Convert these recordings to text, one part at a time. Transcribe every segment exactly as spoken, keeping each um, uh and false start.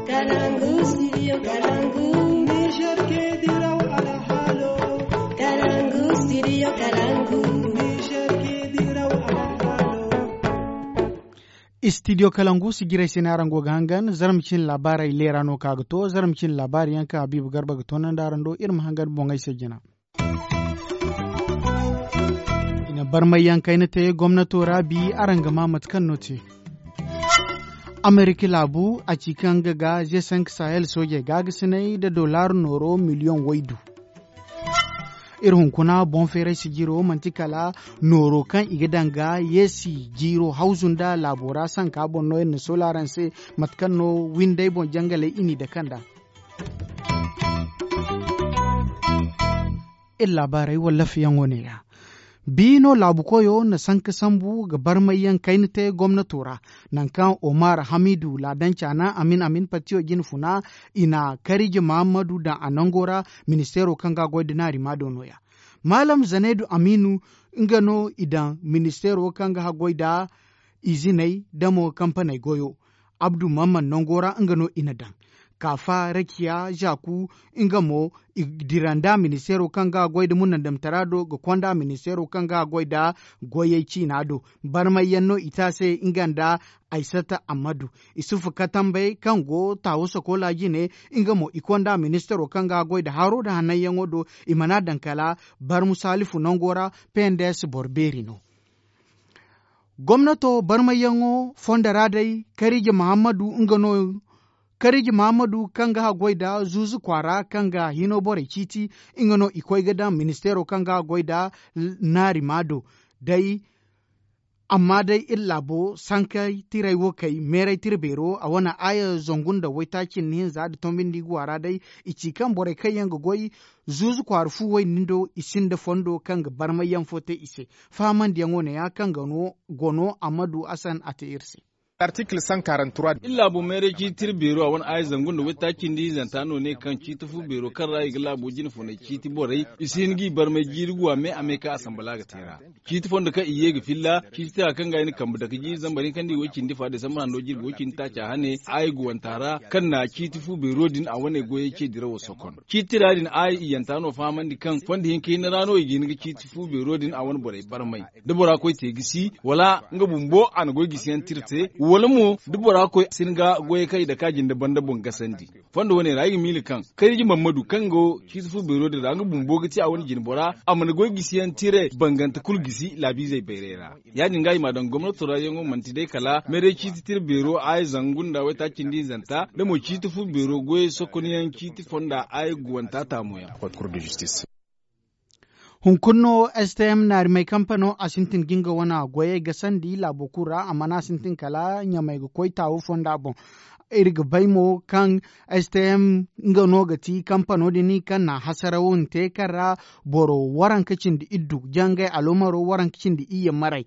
Kalangu, studio Kalangu. Niger ke diraw alhalo. Kalangu, studio Kalangu. Niger ke diraw alhalo. Studio Kalangu si jiray se no araŋ go ga hangan. Zarma cine laabaarey leera no ka ga to. Zarma cine laabaari yaŋ kaŋ Habiibu Garba ga toonandi araŋ do, iri ma hangan boŋey se jina. I na barmayyaŋ kayna te gomnato ra bi. Araŋ ga maa mate kaŋ no te. Amerika laabu a ci kaŋ ga ga ze sank sahel soojey gaagasinay nda dollar nooro miliyoŋ waydu. Iri hunkuna boŋ feeray sijiro manti kala nooro kaŋ i ga daŋ ga yeesi jiiro hawzu nda laabo ra sanka boŋ no iri na sola araŋ se. Mate kaŋ no windey boŋ jangaley i n'i dake nd'a. Iri laabaarey wallafyaŋo neeya. Bi no laabu koyo na sanka sambu ga barmayyaŋ kayna te gomnato ra. Nangu kaŋ omar hamidu laadanca na amin amin patiyo jine funa, i na karije mahammadu daŋ a nango ra. Ministeero kaŋ ga a goy nda naari ma do nooya. Maalam zanaydu aminu, nga no i daŋ ministeero kaŋ ga haggoy nda iziney nda mo kampaney goyo. Abdu mamman nango ra nga no i na daŋ. Kaafa rakiya zaku, nga mo i dira nda ministeero kaŋ ga a goy nda munandamtara do ga konda ministeero kaŋ ga a goy nda goyey ciina do. Barmayyaŋ no i te a se nga nda aysata ammadu. Isufu katambey kaŋ go taawo sokola jine, nga mo i konda ministeero kaŋ ga a goy nda haro nda hannanyaŋo do. I mana daŋ kala barmu salifu nango ra. Pendes boro beeri no. Gomnato barmayyaŋo fondo ra day, karije mahammadu nga no. Karije mahammadu kaŋ ga haggoy nda zuuzu kwaara kaŋ ga hino borey ciiti, nga no i koy ga daŋ ministeero kaŋ ga haggoy nda naari ma do. Day amma day iri laabo sankay tiray wo kay meeray tira beero a wane aaya zangu nda waytaaci nda hinza nda tombindi ga waara day. I ci kaŋ borey kaŋ yaŋ ga goy zuuzu kwaara fu wayne nin do i sinda fondo kaŋ ga barmayyaŋ fo te i se. Fahamandiyaŋo neeya kaŋ ga no gono ammadu hasan a te iri se. Artikil san karantura. Iri laabo meeray ciiti tira beero a wane aaya zangu nda waytaaci nda hinzanta no ne kaŋ ciiti fu beero kaŋ ra i ga laabo jine foney ciiti borey i si hin ga i barmay jiiri guwa me a me kaŋ asambala ga te ra. Ciiti fondo kaŋ i ye ga filla ciiti tira kaŋ ga i na kambe dake jiiri zambar hinka nda i way cindi fa desambar hando jirbi way cindi taaca hane aaya guwanta ra kaŋ na ciiti fu beero din a wane goyey ce dirawo sokon. Ciiti tira din aaya iyanta no fahamandi kaŋ fondo hinka hinne ra no i ga hin ga ciiti fu beero din a wane borey barmay. Da bora koy te gisi wala nga bumbo a na goy gisiyaŋ tira te wala mo da bora koy a si hin ga goyey kaŋ i dake a jinde banda boŋ gasandi. Fondo wane ra ay ga miila kaŋ kariji mammadu kaŋ go ciiti fu beero din ra nga bumbo ga ti a wane jine bora a mana goy gisiyaŋ tira bangante kulu gisi laabiizey bayray ra. Ya- din ga i m'a daŋ gomnato ra yaŋo manti day kala meeray ciiti tira beero a ye zangu nda waytaaci nda hinzanta da mo ciiti fu beero goyey sokonyaŋ ciiti fonda a ye guwanta taamoyaŋ. Hunkuna no stm naarimey kampano a sintin ga nga wane goyey gasandi laabo kulu ra amma no a sintin kala ɲamey ga koy taawo fonda boŋ. Iri ga bay mo kaŋ stm nga no ga ti kampano din kaŋ na hasaraw din te kaŋ ra boro waranka cindi iddu jangay aloomaro waranka cindi iyye maray.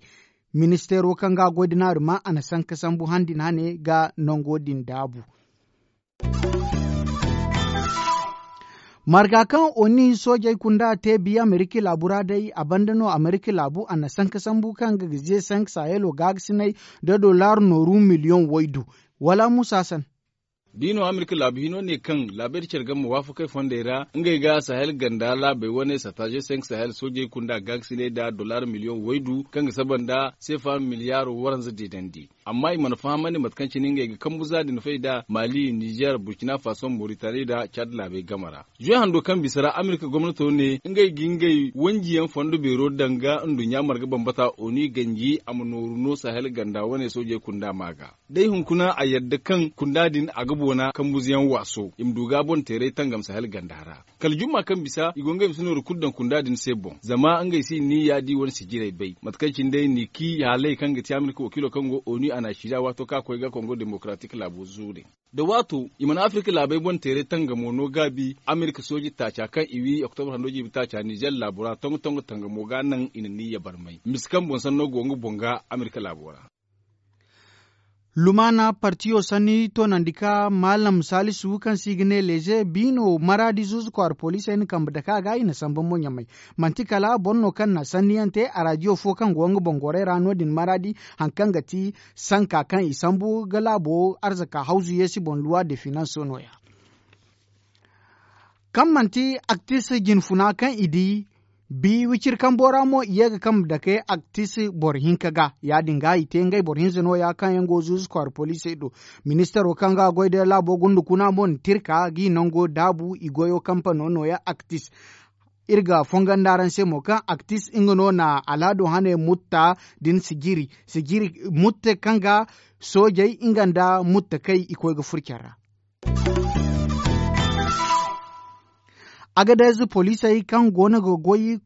Ministeero kaŋ ga a goy da naarima a na sanka sambu han din hane ga nango din daabu. Marga kaŋ oni soojey kunda te biya amerika laabu ra day a banda no amerika laabu a na sanka sambu kaŋ ga ga ze sanka sahelo gaagasinay da dollar nooru miliyoŋ waydu. Wala musa san. Da i no amerika laabu hino ne kaŋ laabey da care game waafakey fondey ra ngey ga sahel ganda laabey wane sataze sanka sahel soojey kunda gaagasinay da dollar miliyoŋ waydu kaŋ ga saba nda seefa miliyaaro waranza deedandi. Amma i mana fahamandi mate kaŋ cine ngey ga kambu za din fay nd'a mali nizer burkina faso moritani nda cad laabey game ra. Zuwe hando kaŋ bisa ra amerika gomnato ne ngey ga ngey wanjiyaŋ fondo beero daŋ ga nduɲɲa marga bambata onu i ganji a ma nooru no sahel ganda wane soojey kunda ma ga. Day hunkuna a yadda kaŋ kunda din a ga boona kambuzayaŋ waaso i ma du ga boŋ teeray tangam sahel ganda ra. Kala jumma kaŋ bisa i go ngey bisa nooru kulu daŋ kunda din se boŋ zama ngey si ni ya di wane sijirey bay mate kaŋ cine day ni ki haaley kaŋ ga ti amerika wakiilo kaŋ go onu a na a sida waato kaŋ a koy ga kongo demokaratik laabo zuure. Da waato i mana afirka laabey boŋ teeray tangamo no gaabi amerika sooji taaca kaŋ i wi oktobar hando jiibi taaca nizer laabo ra tongo tongo tangamo ga naŋ i na niyya barmay mise kaŋ boŋ sanno go nga boŋ ga amerika laabo ra. Lumaana partiyo sanni toonandi ka maalam saalisu kaŋ se i ga ne leeze biino maraadi zuuzu kwaara poliisey na kambe dake a ga i na samba mo ɲamay. Manti kala boro no kaŋ na sanniyaŋ te araadiyo fo kaŋ go nga boŋ gorey ra no- din maraadi, hari kaŋ ga ti sanka kaŋ i sambu ga laabo arzaka hawzu yeesi boŋ luwa de finanso no- ya. Kaŋ manti aktis jinfuna kaŋ i di, bi wiciri kambo ra mo i ye ga kambe dake aktis boro hinka ga. Ya- din ga i te ngey boro hinza no- ya kaŋ yaŋ go zuuzu kwaara poliisey do. Ministaro kaŋ ga goy day laabo gunda kuna mo na tirka g'i nango daabu i goyo kampano no- ya aktis. Iri ga fongonda araŋ se mo kaŋ aktis nga no na alaado hane mutta din sijiri sijiri mutta kaŋ ga soojey nga nda mutta kay i koy ga furo care ra. Agadez poliisey kaŋ go no ga goy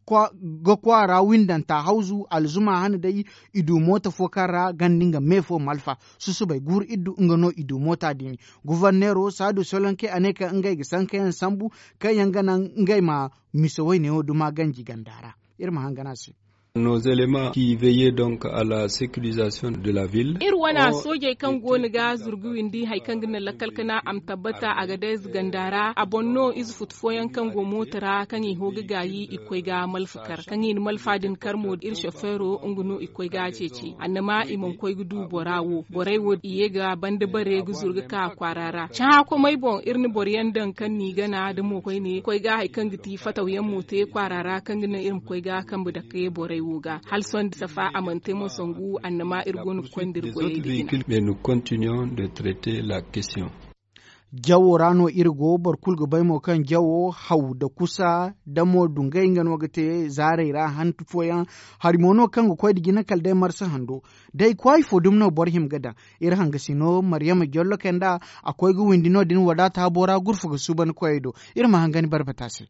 ga kwaara windanta hawzu alzuma hane day, i du mooto fo kaŋ ra ganda nga me fo malfa. Susubay guuru iddu nga no i du moota din. Guvarneero saadu solonke a ne kaŋ ngey ga sankayaŋ sambu kaŋ yaŋ ga naŋ ngey ma misa woyne wo duma ganji ganda ra. Iri ma hangan a se. Nos éléments qui veillaient donc à la sécurisation de la ville. Iri wana soojey kaŋ go no ga zurgu windi hari kaŋ ga naŋ lakkal kana a ma tabbata a ga day ziganda ra a boŋ no ize futu fooyaŋ kaŋ go mooto ra kaŋ i ho ga gaayi i koy ga malfa kar kaŋ i na malfa din kar mo iri sofeero nga no i koy ga a ceeci annama i mana koy ga du bora wo borey wo i ye ga banda bare ga zuru ga ka kwaara ra cahã komey boŋ iri na boro yaŋ daŋ kaŋ n'i gana da mo koyne koy ga hari kaŋ ga ti fatawyaŋ mo te kwaara ra kaŋ ga naŋ iri ma koy ga kambe dake borey wo ga hala sohõ da safa a mana te mo sangu annama iri go no ga koy nda iri goyey ga jina. Mais nous continuons de traiter la question. Jawo ra no iri go boro kulu ga bay mo kaŋ jawo haw nda kusa nda mo dungay nga no ga te zaarey ra hantu fooyaŋ. Hari mo no kaŋ ga koy nda jina kala day marsa hando day kwaayi fo dumi no boro hima ga daŋ. Iri hangasino maryama jollo kay nda a koy ga windi no- din wadaata habo ra gurfa ga suuban koyey do. Iri ma hangani barbata se.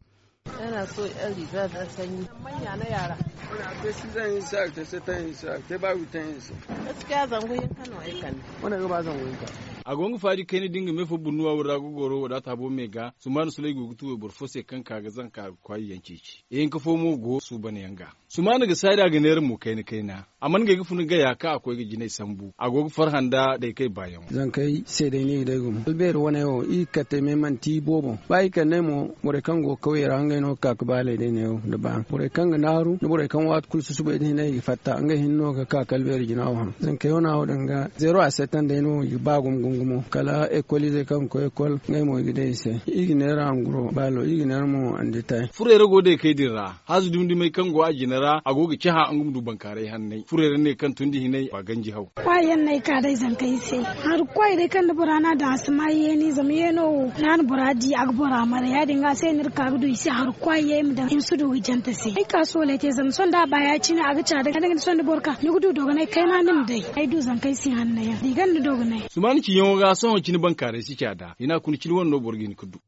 A go nga faadi kayna da nga me fo burnuwa wura ga goro wadaata habo me ga sumaana sulay go ga tu wayboro fo se kaŋ ka ga zanka ga kwaay yaŋ ceeci ihinka fo mo go suuban yaŋ ga. Sumaana ga saari a ga neera mo kayna kayna a mana ngey ga funa gaya kaŋ a koy ga jinay sambu a go ga farhã nda day kay baayaŋo. Zankey se day no i ga day gumo albeeri wane wo i ga kate me manti i boobo ba i kande mo borey kaŋ go ga kawye ra ngey no ga ka ga baaley day neewo nda baano borey kaŋ ga naaru nda borey kaŋ waati kulu susubay da hinay i ga fatta ngey hinne no ga ka ga albeeri jina wo haŋ zankey wane wo danga zeero a setan day no i ga ba gumo gumo gumo kala ekol izey kaŋ ga koy ekol ngey mo i ga day i se i ga neera anguro baalo i ga neera mo anditay. Furey ra go day kay din ra haazu dumi dumey kaŋ go a jina ra a go ga cahã nga ma du bankaaray hanney furey ra ne kaŋ tundi hinay ba ganji haw. Kwaayaŋ no ay ka day zankey se hari kwaay day kaŋ da bora no a daŋ a si ma yeeni zama yeeno wo ra no bora di a ga bora mara ya- din ga a se no iri ka ga du i se hari kwaay yaŋ i ma daŋ i ma si du ga jante se ay ka soolay te zama sohõ da a ba ya- cine a ga caada ga da ga ni sohõ da boro ka ni ga du dogonay kayna ni ma day ay du zankey se hanno yaŋ da i ganda dogonay. Sumaana ciyaŋo ga sohõ cine bankaaray si caada hina kuna cine wane no boro ga hin ga du.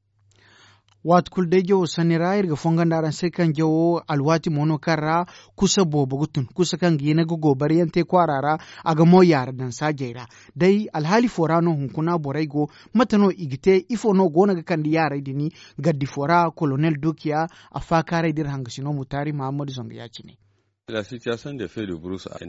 Waati kulu day jawo sanni ra iri ga fongondi araŋ se kaŋ jawo alwaati mo no kaŋ ra kusa boobo ga tun kusa kaŋ ga hina ga goobariyaŋ te kwaara ra a ga mo yaara daŋ saajey ra. Day alhaali fo ra no hunkuna borey go mate no i ga te ifo no go no ga kande yaarey din? Gardi fo ra kolonel dukiya a faakaaray da iri hangasino mutaari mahammadu zangu ya- cine.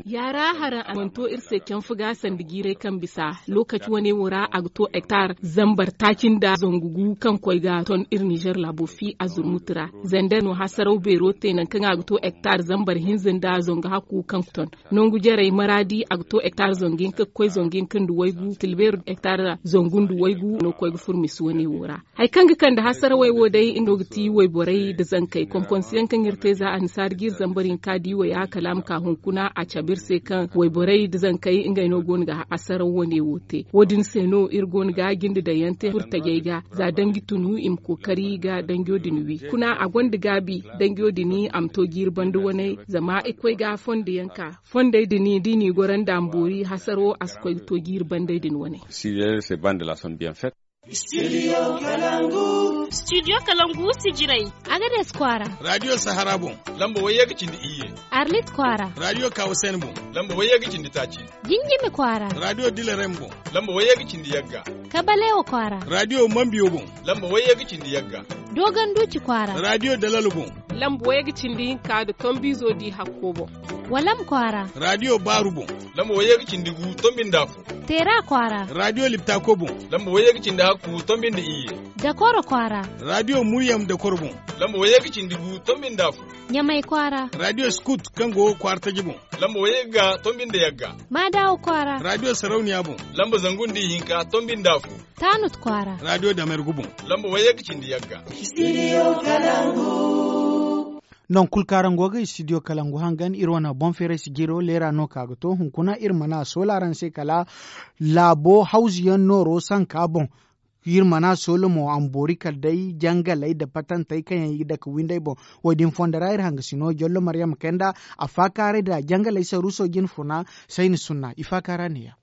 Yaara haraŋ a mana to iri se canfu ga sanda jiiray kaŋ bisa lookaci wane wo ra a ga to hektar zambar taaci nda zangu gu kaŋ koy ga ton iri nizer laabo fi a zurmutu ra. Zander no hasaraw beero te nangu kaŋ a ga to hektar zambar hinza nda zangu hakku kaŋ ton nangu jarey maraadi a ga to hektar zangu hinka ga koy zangu hinka nda waygu tilbeeri hektar zangu nda waygu no ga koy ga furo misi wane wo ra. Hari kaŋ ga kande hasarawey wo day nga no ga ti wayborey nda zankey konkonsiyaŋ kaŋ iri te za annasaari ga iri zambar hinka di waya kala a ma ka hunkuna a cabe iri se kaŋ wayborey nda zankey ngey no go no ga hasaraw wane wo te wo- din se no iri go no ga jinde daŋ yaŋ te furtajey ga za danji tunu i ma kookari ga danjo din wi kuna a gonda gaabi danjo din a ma to jiiri banda waney zama i koy ga fonda yaŋ ka fondey din da i n'i goro nda a ma boori hasaro a si koy ga to jiiri bandey din wane. Studio kalangu sijirey. Agades kwaara. Radiyo sahara boŋ lamba wayye ga cindi iyye. Arlit kwaara. Radiyo kawasen boŋ lamba wayye ga cindi taaci. Jinjimi kwaara. Radiyo dilarem boŋ lamba wayye ga cindi yagga. Kabalewa kwaara. Radiyo mambiyo boŋ lamba wayye ga cindi yagga. Dogon duuci kwaara. Radiyo dalalo boŋ. Lamba wayye ga cindi hinka nda tombiizo di hakko boŋ. Walam kwaara. Raadiyo baaru boŋ. Lamba wayye ga cindi gu tombi nda afo. Teera kwaara. Raadiyo liptako boŋ. Lamba wayye ga cindi hakku tombi nda iyye. Dakoro kwaara. Raadiyo muryam dakoro boŋ. Lamba wayye ga cindi gu tombi nda afo. Ɲamay kwaara. Raadiyo skut kaŋ go kwaara taji boŋ. Lamba wayye ga tombi nda yagga. Maadawa kwaara. Raadiyo sarauniya boŋ. Lamba zangu nda ihinka tombi nda afo. Taanut kwaara. Raadiyo damergu boŋ. Lamba wayye ga cindi yagga. Nangu kulu kaŋ araŋ go ga istidiyo kalangu hangan iri wane boŋ feeray sijiro leera no ka ga to hunkuna iri mana a soola araŋ se kala laabo hawzu yaŋ nooro sanka boŋ. Iri mana a soola mo a ma boori kala day jangaley nda patantey kaŋ yaŋ i ga dake windey boŋ. Wo- din fondo ra iri hangasino jollo maryam kayna nda a faakaaray nda jangaley saruuso jine funa sayni sunna i faakaara neeya.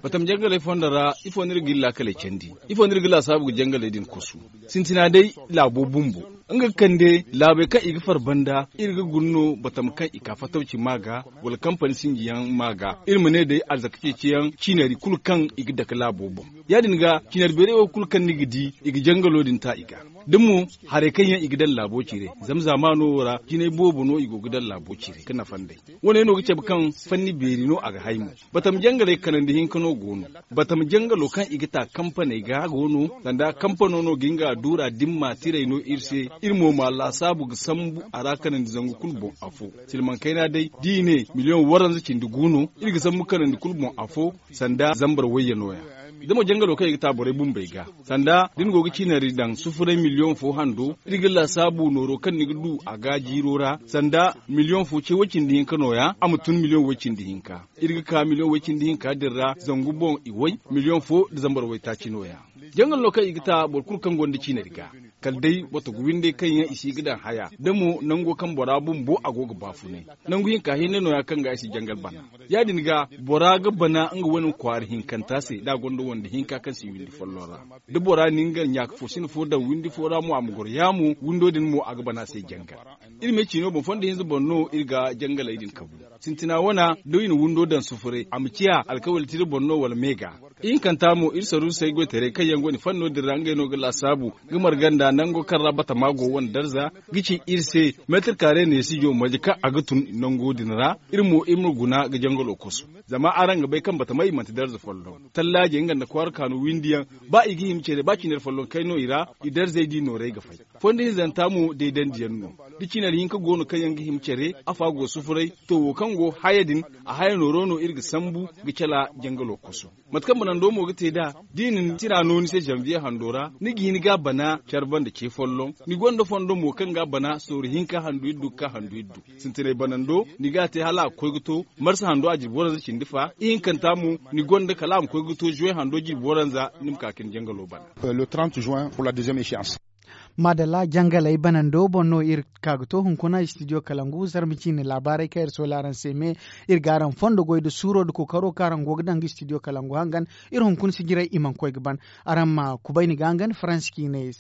Batam jangaley fondo ra ifo no iri ga iri laakaley candi? Ifo no iri ga laasaabu ga jangaley din kosu? Sintina day laabo bumbo nga ga kande laabey kaŋ i ga far banda iri ga guna no batam kaŋ i ka fatawci ma ga wala kampani sinji yaŋ ma ga iri ma ne day alzaka ceeci yaŋ ciinari kulu kaŋ i ga dake laabo boŋ. Ya- din ga ciinari beeray wo kulu kaŋ ni ga di i ga jangalo din ta i ga da mo harey kaŋ yaŋ i ga daŋ laabo ciiray. Zama zaamaano wo ra jinay boobo no i go ga daŋ laabo ciiray ga nafa nd'ey. Wo- ne no ga cabe kaŋ fanni beeri no a ga hay mo. Batam jangaley kanandi hinka no go no. Batam jangalo kaŋ i ga ta kampaney ga go no sanda kampano no ga nga duura dimma tiray no iri se. Iri mo ma laasaabu ga sambu a ra kanandi zangu kulu boŋ afo. Silmaŋ kayna day da i ne miliyoŋ waranza cindi gu no. Iri ga sambu kanandi kulu boŋ afo sanda zambar wayye nooya. Da mo jangalo kaŋ i ga ta borey bumbey ga sanda da ni go ga ciinari daŋ sufuray miliyoŋ fo hando iri ga laasaabu nooro kaŋ ni ga du a ga jiiro ra sanda miliyoŋ fo ce way-cindi hinka nooya a ma tun miliyoŋ way-cindi hinka. Iri ga ka miliyoŋ way-cindi hinka din ra zangu boŋ i way miliyoŋ fo nda zambar waytaaci nooya. Jangal no kaŋ i ga ta boro kulu kaŋ gonda ciinari ga kala day wato ga windey kaŋ yaŋ i si ga daŋ haya da mo nango kaŋ bora bumbo a go ga baafunay. Nangu hinka hinne nooya kaŋ ga i si jangal bana. Ya- din ga bora ga bana nga wane kwaara hinkanta se da a gonda wande hinka kaŋ si windi folloŋ ra. Da bora na nga ɲaaka fo sina fo daŋ windi fo ra mo a ma goro yaamo windo din mo a ga bana se jangal. Iri me ciino boŋ fondo hinza boŋ no iri ga jangaley din kabu. Sintina wana da i na windo daŋ sufuray a ma ciya alkawali tira boŋ no wala me ga. Ihinkanta mo iri saruusey goytaray kaŋ yaŋ go ni fanno din ra ngey no ga laasaabu ga marga nda nango kaŋ ra batama go wane darza ga ci iri se. Meetir kaare neesijo marje kaŋ a ga tun nango din ra. Iri mo iri ma guna ga jangalo koso zama araŋ ga bay kaŋ batamey manti darza folloŋ. Tallaajey nga nda kwaara kaanu windiyaŋ ba i ga hima care ba cinar folloŋ kay no i ra. I darzey di nooray ga fay. Fondo hinzanta mo deedandiyaŋ no da cinar hinka go no kaŋ yaŋ ga hima care. Afa go sufuray to wo kaŋ go haya din a haya nooro no iri ga sambu ga cala jangalo koso. Mate kaŋ banando mo ga te nd'a da i na ni tira no ni se zanviye hando ra ni ga hin ga a bana care banda ce folloŋ. Ni gonda fondo mo kaŋ ga a bana sooru hinka handu iddu ga ka handu iddu. Sintinay banando ni ga a te hala a ga koy ga to marsa hando a jirbi waranza cindi fa ihinkanta mo ni gonda kala a ma koy ga to zuwe hando jirbi waranza ni ma ka ka ni jangalo bana. Maadalla jangaley banando boŋ no iri ka ga to hunkuna istidiyo kalangu zarma ciine laabaarey kaŋ iri soola araŋ se me. Iri ga araŋ fondo goy nda suuro nda kookaro kaŋ araŋ go ga daŋ ga istidiyo kalangu hangan. Iri hunkuna sijirey i mana koy ga ban. Araŋ ma kubay ni ga hangan faransi ciine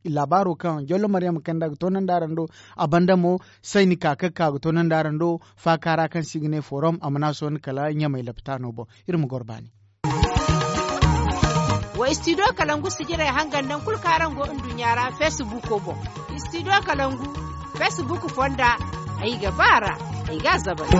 laabaaro kaŋ jollo maryam kanda ga toonandi araŋ do. A banda mo sayni ka kaŋ ka ga toonandi araŋ do faaka ra kaŋ se i ga ne forom a mana sohõ kala ɲamay lapitaano boŋ. Iri ma goro baani. Wa istidiyo kalangu sijirey hangan nangu kulu kaŋ araŋ go nduɲɲa ra feesibuuko boŋ. Istidiyo kalangu feesibuuko fonda ay ga ba a ra. Ay ga a zabari.